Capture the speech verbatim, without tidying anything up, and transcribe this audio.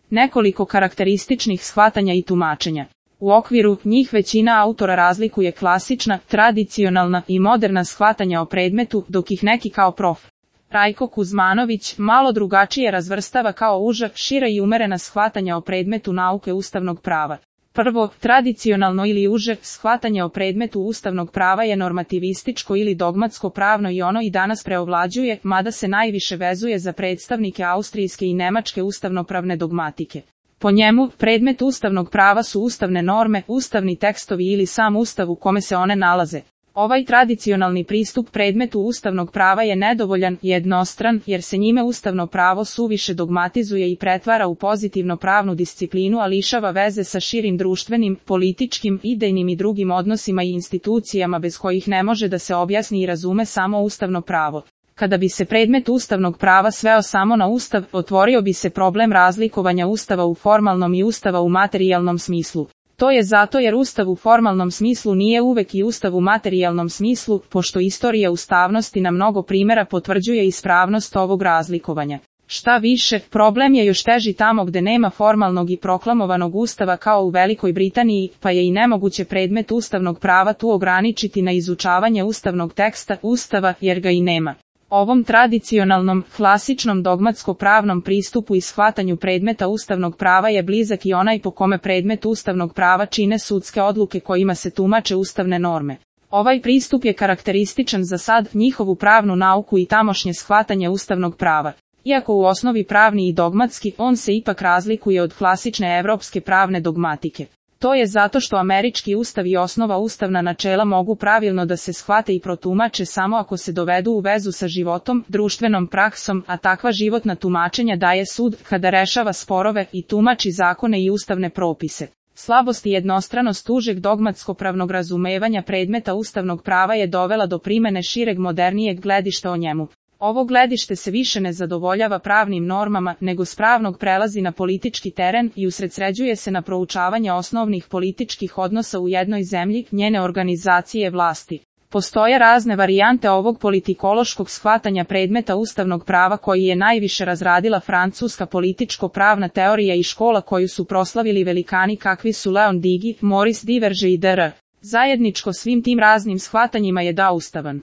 Nekoliko karakterističnih shvatanja i tumačenja. U okviru njih većina autora razlikuje klasična, tradicionalna i moderna shvatanja o predmetu, dok ih neki kao prof. Rajko Kuzmanović malo drugačije razvrstava kao uža, šira i umerena shvatanja o predmetu nauke ustavnog prava. Prvo, tradicionalno ili uže shvatanje o predmetu ustavnog prava je normativističko ili dogmatsko pravno i ono i danas preovlađuje, mada se najviše vezuje za predstavnike austrijske i nemačke ustavnopravne dogmatike. Po njemu, predmet ustavnog prava su ustavne norme, ustavni tekstovi ili sam ustav u kome se one nalaze. Ovaj tradicionalni pristup predmetu ustavnog prava je nedovoljan i jednostran, jer se njime ustavno pravo suviše dogmatizuje i pretvara u pozitivno pravnu disciplinu, a lišava veze sa širim društvenim, političkim, idejnim i drugim odnosima i institucijama bez kojih ne može da se objasni i razume samo ustavno pravo. Kada bi se predmet ustavnog prava sveo samo na ustav, otvorio bi se problem razlikovanja ustava u formalnom i ustava u materijalnom smislu. To je zato jer ustav u formalnom smislu nije uvek i ustav u materijalnom smislu, pošto istorija ustavnosti na mnogo primjera potvrđuje ispravnost ovog razlikovanja. Šta više, problem je još teži tamo gde nema formalnog i proklamovanog ustava kao u Velikoj Britaniji, pa je i nemoguće predmet ustavnog prava tu ograničiti na izučavanje ustavnog teksta, ustava, jer ga i nema. Ovom tradicionalnom, klasičnom dogmatsko-pravnom pristupu i shvatanju predmeta ustavnog prava je blizak i onaj po kome predmet ustavnog prava čine sudske odluke kojima se tumače ustavne norme. Ovaj pristup je karakterističan za sad njihovu pravnu nauku i tamošnje shvatanje ustavnog prava. Iako u osnovi pravni i dogmatski, on se ipak razlikuje od klasične evropske pravne dogmatike. To je zato što američki ustav i osnova ustavna načela mogu pravilno da se shvate i protumače samo ako se dovedu u vezu sa životom, društvenom praksom, a takva životna tumačenja daje sud kada rešava sporove i tumači zakone i ustavne propise. Slabost i jednostranost užeg dogmatsko-pravnog razumevanja predmeta ustavnog prava je dovela do primene šireg modernijeg gledišta o njemu. Ovo gledište se više ne zadovoljava pravnim normama, nego s pravnog prelazi na politički teren i usredsređuje se na proučavanje osnovnih političkih odnosa u jednoj zemlji, njene organizacije vlasti. Postoje razne varijante ovog politikološkog shvatanja predmeta ustavnog prava koji je najviše razradila francuska političko-pravna teorija i škola koju su proslavili velikani kakvi su Leon Digi, Maurice Duverger i dr. Zajedničko svim tim raznim shvatanjima je da ustavan